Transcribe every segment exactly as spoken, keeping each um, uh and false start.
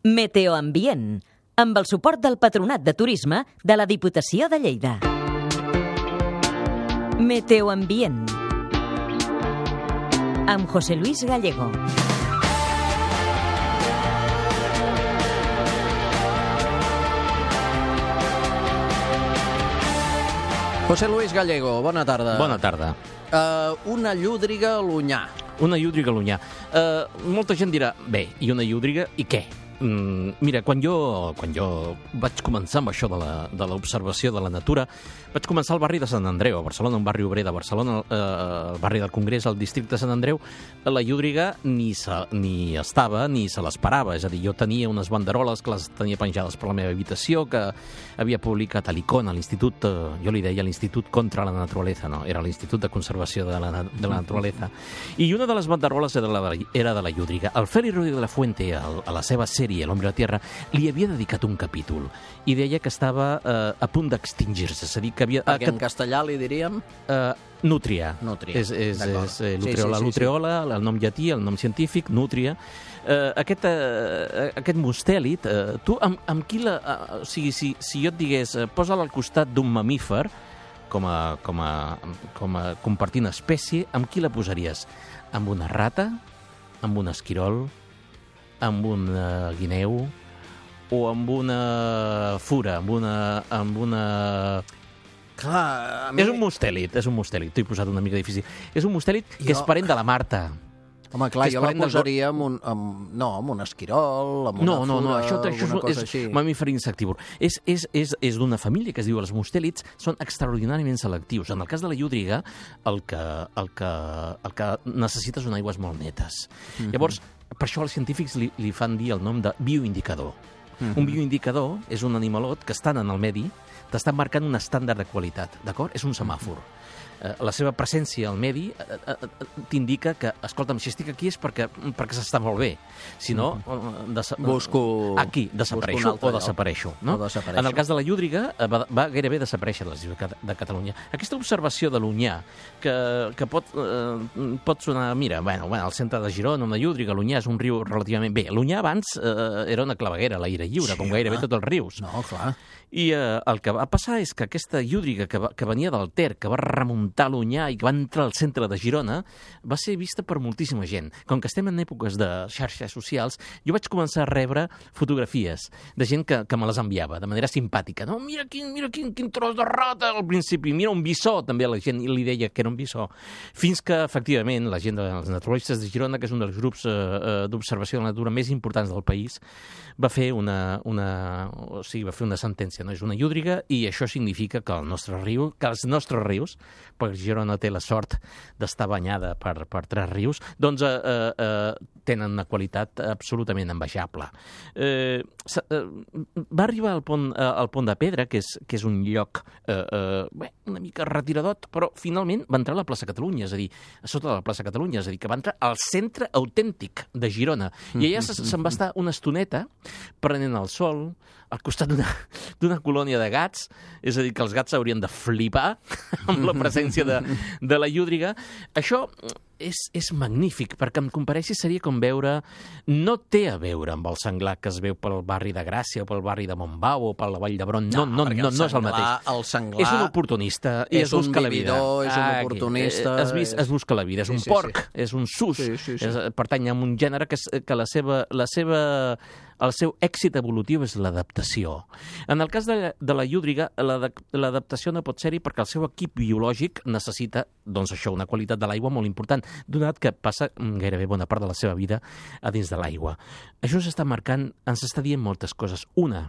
Meteoambient, amb el suport del Patronat de Turisme de la Diputació de Lleida. Meteoambient, amb José Luis Gallego. José Luis Gallego, bona tarda. Bona tarda. Uh, una llúdriga a l'Onyar. Una llúdriga a l'Onyar. Uh, molta gent dirà, bé, i una llúdriga, i què? Mm, mira, quan jo, quan jo vaig començar amb això de la, de l'observació de la natura, vaig començar al barri de Sant Andreu, a Barcelona, un barri obrer de Barcelona, eh, el barri del Congrés, al districte de Sant Andreu. La llúdriga ni, se, ni estava ni se l'esperava, és a dir, jo tenia unes banderoles que les tenia penjades per la meva habitació, que havia publicat a l'Icon, a l'Institut, eh, jo li deia l'Institut contra la Naturaleza, no, era l'Institut de Conservació de la, de la Naturaleza, i una de les banderoles era de la, era de la llúdriga. El Félix Rodríguez de la Fuente, a, a la seva sèrie L'Hombre a la Tierra, li havia dedicat un capítol i deia que estava eh, a punt d'extingir-se, és a dir, que havia... Perquè en castellà li diríem... Uh, Nútria. Nútria, és, és, és eh, sí, l'utreola, sí, sí, l'utreola, sí. El nom llatí, el nom científic, Nútria. Uh, aquest, uh, aquest mustèlid, uh, tu amb, amb qui la... Uh, o sigui, si, si jo et digués, uh, posa'l al costat d'un mamífer, com a, com a, com a compartint espècie, amb qui la posaries? Amb una rata? Amb un esquirol? Amb un uh, guineu? O amb una fura? Amb una... Amb una... Clar, a mi... És un mustèlid, és un mustèlid. T'ho he posat una mica difícil. És un mustèlid que Jo... és parent de la Marta. Home, clar, jo la posaria amb un... Amb... No, amb un esquirol, amb una no, no, fura, no, això, això alguna és, cosa així. És mamífer insectívor. És, és, és, és d'una família que es diu els mustèlids, són extraordinàriament selectius. En el cas de la llúdriga, el que, el que, el que necessites són aigües molt netes. Mm-hmm. Llavors, per això els científics li, li fan dir el nom de bioindicador. Mm-hmm. Un bioindicador és un animalot que estan en el medi, t'està marcant un estàndard de qualitat, d'acord? És un semàfor. Eh, la seva presència al medi eh, eh, t'indica que, escolta'm, si estic aquí és perquè, perquè s'està molt bé. Si no, mm-hmm. desa- busco... aquí desapareixo o desapareixo. No? O desapareixo. En el cas de la llúdriga eh, va, va gairebé desaparèixer de les illes de Catalunya. Aquesta observació de l'Onyar, que, que pot, eh, pot sonar, mira, bueno, bueno, al centre de Girona, una llúdriga, l'Onyar és un riu relativament... Bé, l'Onyar abans eh, era una claveguera a l'aire lliure, sí, com gairebé tots els rius. No, clar. I eh, el que va passar és que aquesta llúdriga que, va, que venia del Ter, que va remuntar l'Onyar i que va entrar al centre de Girona, va ser vista per moltíssima gent. Com que estem en èpoques de xarxes socials, jo vaig començar a rebre fotografies de gent que, que me les enviava de manera simpàtica. No, mira quin, mira quin, quin tros de rata al principi, mira un bisó, també a la gent li deia que era un bisó. Fins que, efectivament, la gent dels naturalistes de Girona, que és un dels grups eh, d'observació de la natura més importants del país, va fer una, una, o sigui, va fer una sentència. No és una llúdriga i això significa que el nostre riu, que els nostres rius, perquè Girona té la sort d'estar banyada per, per tres rius, doncs eh, eh, tenen una qualitat absolutament envejable. Eh, eh, va arribar al pont, eh, al pont de Pedra, que és, que és un lloc eh, eh, bé, una mica retiradot, però finalment va entrar a la plaça Catalunya, és a dir, a sota de la plaça Catalunya, és a dir, que va entrar al centre autèntic de Girona. I allà se'n va estar una estoneta prenent el sol al costat d'una d'una colònia de gats, és a dir, que els gats haurien de flipar amb la presència de, de la llúdriga. Això és, és magnífic, perquè em compareixi seria com veure... No té a veure amb el senglar que es veu pel barri de Gràcia o pel barri de Montbau o per la Vall d'Hebron. No, no, no, no, no és el mateix. El senglar... És un oportunista i és es busca un la vida. vividor, és un Ah, oportunista... Es, es, es busca la vida, és sí, un sí, porc, sí. és un sus, sí, sí, sí. És, pertany a un gènere que, és, que la seva... La seva el seu èxit evolutiu és l'adaptació. En el cas de, de la llúdriga, l'adaptació no pot ser-hi perquè el seu equip biològic necessita, doncs això, una qualitat de l'aigua molt important, donat que passa gairebé bona part de la seva vida a dins de l'aigua. Això s'està marcant, ens està dient moltes coses. Una,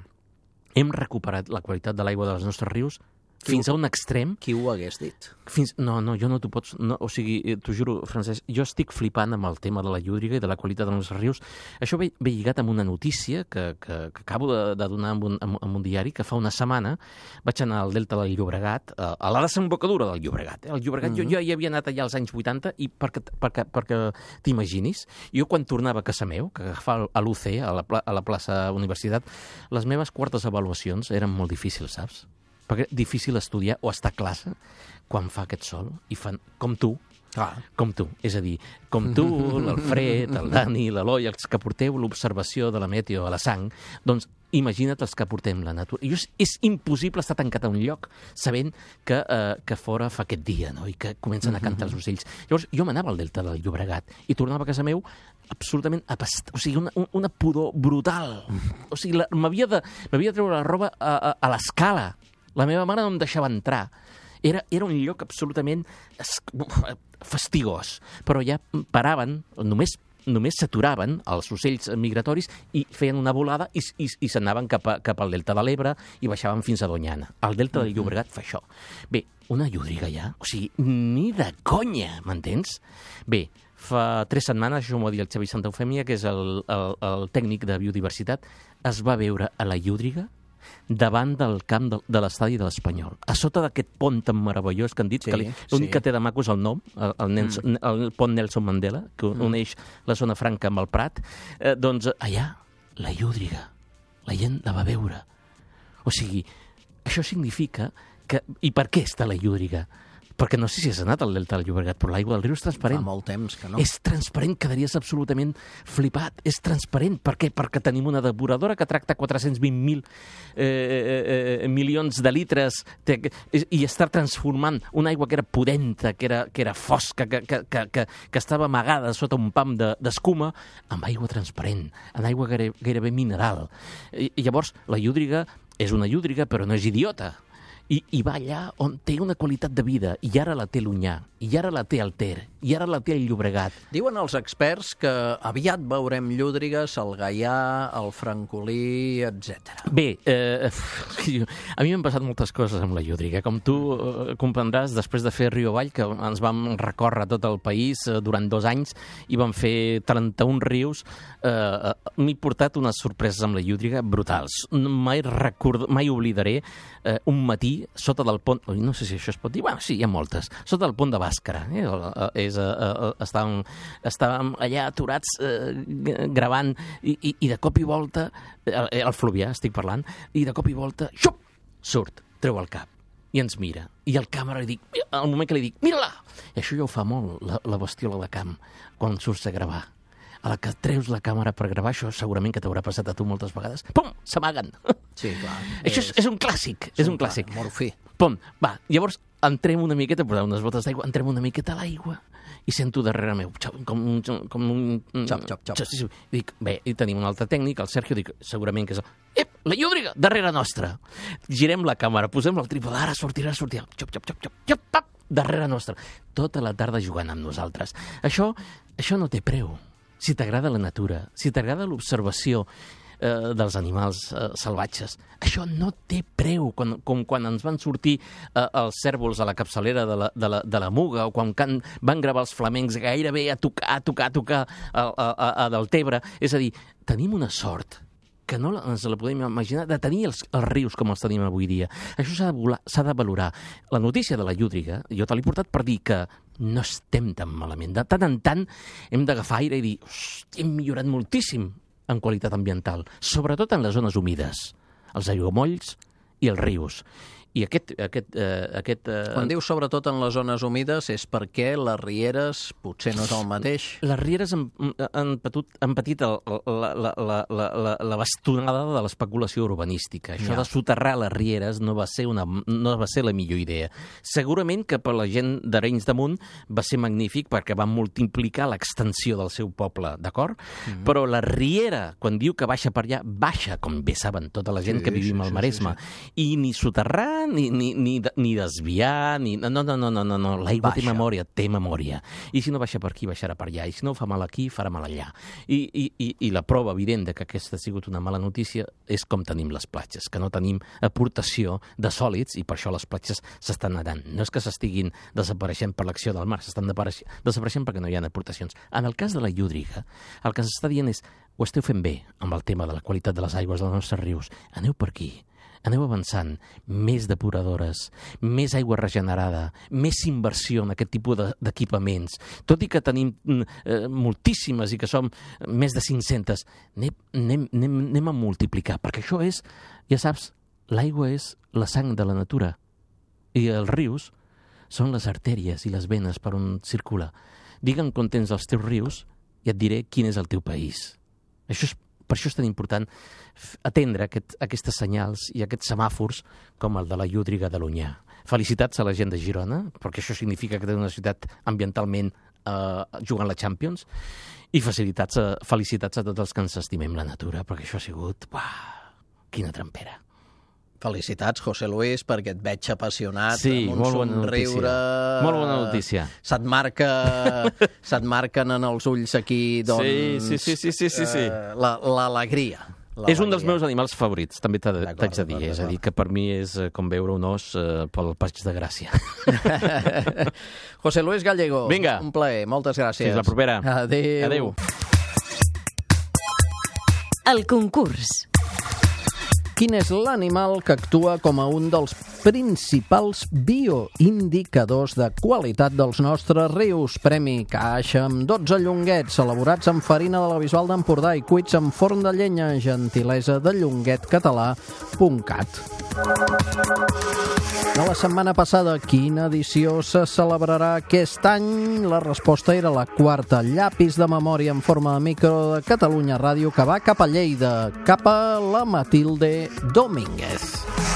hem recuperat la qualitat de l'aigua dels nostres rius fins a un extrem... Qui ho hagués dit? Fins... No, no, jo no t'ho pots... No, o sigui, t'ho juro, Francesc, jo estic flipant amb el tema de la llúdriga i de la qualitat dels rius. Això ve, ve lligat amb una notícia que, que, que acabo de, de donar en un, en un diari, que fa una setmana vaig anar al Delta del Llobregat, a la desembocadura del Llobregat. Eh? El Llobregat, mm-hmm. jo, jo hi havia anat allà als anys vuitanta i perquè, perquè, perquè t'imaginis, jo quan tornava a casa meu, que agafava a l'U C, a la, a la plaça Universitat, les meves quartes avaluacions eren molt difícils, saps? Perquè és difícil estudiar o estar a classe quan fa aquest sol i fan, com tu, Clar. Com tu. És a dir, com tu, l'Alfred, el Dani, l'Eloi, els que porteu l'observació de la meteo a la sang, doncs imagina't els que portem la natura. I és, és impossible estar tancat a un lloc sabent que, eh, que fora fa aquest dia, no? I que comencen a cantar els ocells. Llavors, jo m'anava al delta del Llobregat i tornava a casa meu absolutament apast... O sigui, una, una pudor brutal. O sigui, la- m'havia de, m'havia de treure la roba a, a, a l'escala. La meva mare no em deixava entrar. Era, era un lloc absolutament es- fastigós. Però ja paraven, només només s'aturaven els ocells migratoris i feien una volada i, i, i s'anaven cap, a, cap al delta de l'Ebre i baixaven fins a Doñana. El delta del Llobregat fa això. Bé, una llúdriga ja? O sigui, ni de conya, m'entens? Bé, fa tres setmanes, això m'ho va dir el Xavi Santaufèmia, que és el, el, el tècnic de biodiversitat, es va veure a la llúdriga davant del camp de, de l'estadi de l'Espanyol, a sota d'aquest pont tan meravellós que han dit, Sí, que li- l'únic sí. que té de maco és el nom, el, el, Nelson, el pont Nelson Mandela, que uneix la zona franca amb el Prat, eh, doncs allà, la llúdriga, la gent la va veure. O sigui, això significa que... I per què està la llúdriga? Perquè no sé si has anat al delta del Llobregat, però l'aigua del riu és Fa transparent. molt temps que no. És transparent, quedaries absolutament flipat. És transparent. Per què? Perquè tenim una depuradora que tracta quatre-cents vint mil eh, eh, milions de litres té, i, i està transformant una aigua que era pudenta, que era, que era fosca, que, que, que, que, que estava amagada sota un pam de- d'escuma, amb aigua transparent, en aigua gaire, gairebé mineral. I, I llavors, la llúdriga és una llúdriga, però no és idiota. I, i va allà on té una qualitat de vida, i ara la té l'Onyar, i ara la té el Ter, i ara la té el Llobregat. Diuen els experts que aviat veurem llúdrigues al Gaià, al Francolí, etcètera. Bé, eh, a mi m'han passat moltes coses amb la llúdriga. Com tu eh, comprendràs, després de fer Rio Avall, que ens vam recórrer tot el país eh, durant dos anys i vam fer trenta-un rius, eh, m'he portat unes sorpreses amb la llúdriga brutals. Mai, record... Mai oblidaré eh, un matí sota del pont... Ui, no sé si això es pot dir. Bueno, sí, hi ha moltes. Sota del pont de Bàscara. Eh? És, eh, eh, estàvem, estàvem allà aturats eh, gravant i, i, i de cop i volta, el, el Fluvià estic parlant, i de cop i volta, xup, surt, treu el cap i ens mira. I el càmera li dic, al moment que li dic, mira-la! I això ja ho fa molt, la, la bestiola de camp, quan surts a gravar. A la que treus la càmera per gravar, això segurament que t'haurà passat a tu moltes vegades, pum, s'amaguen. Sí, clar. Això és, és un clàssic, és un clàssic. Morfí. Pum, va, llavors entrem una miqueta, posar unes botes d'aigua, entrem una miqueta a l'aigua i sento darrere meu, xop, com un... Com un Xop, xop, xop. Sí, sí. Dic, bé, i tenim un altre tècnic, el Sergio, dic, segurament que és... Ep, la llúdriga, darrere nostra. Girem la càmera, posem el trípode, ara sortirà, sortirà, xop, xop, xop, xop, xop, xop, darrere nostra. Tota la tarda jugant amb nosaltres. Això, això no té preu. Si t'agrada la natura, si t'agrada l'observació eh, dels animals eh, salvatges, això no té preu. Quan, com quan ens van sortir eh, els cèrvols a la capçalera de la, de la, de la Muga, o quan can, van gravar els flamencs gairebé a tocar, a tocar, a tocar a, a, a, a Deltebre. És a dir, tenim una sort que no la- ens la podem imaginar, de tenir els, els rius com els tenim avui dia. Això s'ha de, volar- s'ha de valorar. La notícia de la llúdriga, jo te l'he portat per dir que no estem tan malament. De tant en tant hem d'agafar aire i dir, hosti, hem millorat moltíssim en qualitat ambiental, sobretot en les zones humides, els aiguamolls i els rius. I aquest... aquest, eh, aquest eh, Quan dius sobretot en les zones humides és perquè les rieres potser no és el mateix. Les rieres han, han, patut, han patit el, la, la, la, la, la, la bastonada de l'especulació urbanística. Això Ja. de soterrar les rieres no va, ser una, no va ser la millor idea. Segurament que per la gent d'Arenys de Munt va ser magnífic perquè va multiplicar l'extensió del seu poble, d'acord? Mm-hmm. Però la riera, quan diu que baixa per allà, baixa, com bé saben tota la gent Sí, que vivim sí, al sí, Maresme. I ni soterrar, ni, ni, ni, ni desviar, ni... No, no, no, no, no, no. L'aigua té Baixa. memòria, té memòria. I si no baixa per aquí, baixarà per allà. I si no fa mal aquí, farà mal allà. I, i, i, i la prova evident de que aquesta ha sigut una mala notícia és com tenim les platges, que no tenim aportació de sòlids i per això les platges s'estan nedant. No és que s'estiguin desapareixent per l'acció del mar, s'estan desapareix- desapareixent perquè no hi ha aportacions. En el cas de la llúdriga, el que s'està dient és ho esteu fent bé amb el tema de la qualitat de les aigües dels nostres rius. Aneu per aquí. Aneu avançant, més depuradores, més aigua regenerada, més inversió en aquest tipus de- d'equipaments. Tot i que tenim eh, moltíssimes i que som més de cinc-centes, anem, anem, anem, anem a multiplicar, perquè això és, ja saps, l'aigua és la sang de la natura. I els rius són les artèries i les venes per on circula. Digue'm quan tens els teus rius i et diré quin és el teu país. Això és, per això és tan important atendre aquest, aquestes senyals i aquests semàfors com el de la llúdriga de l'Onyar. Felicitats a la gent de Girona, perquè això significa que té una ciutat ambientalment eh, jugant la Champions, i felicitats a, felicitats a tots els que ens estimem la natura, perquè això ha sigut... Uah, quina trampera. Felicitats, José Luis, perquè et veig apassionat, sí, amb un molt bona somriure... notícia. Molt bona notícia. Se't marca, se't marquen en els ulls aquí, doncs... Sí, sí, sí, sí, sí, sí. Eh, l'alegria. És un dels meus animals favorits, també t'haig de dir. És a dir, que per mi és com veure un os eh, pel Passeig de Gràcia. José Luis Gallego, vinga, un plaer, moltes gràcies. Fins la propera. Adéu. Adéu. El concurs. Quin és l'animal que actua com a un dels principals bioindicadors de qualitat dels nostres rius? Premi caixa amb dotze llonguets elaborats amb farina de la Bisbal d'Empordà i cuits amb forn de llenya, gentilesa de llonguet català punt cat. De la setmana passada, quina edició se celebrarà aquest any? La resposta era la quarta, llapis de memòria en forma de micro de Catalunya Ràdio, que va cap a Lleida, cap a la Matilde Domínguez.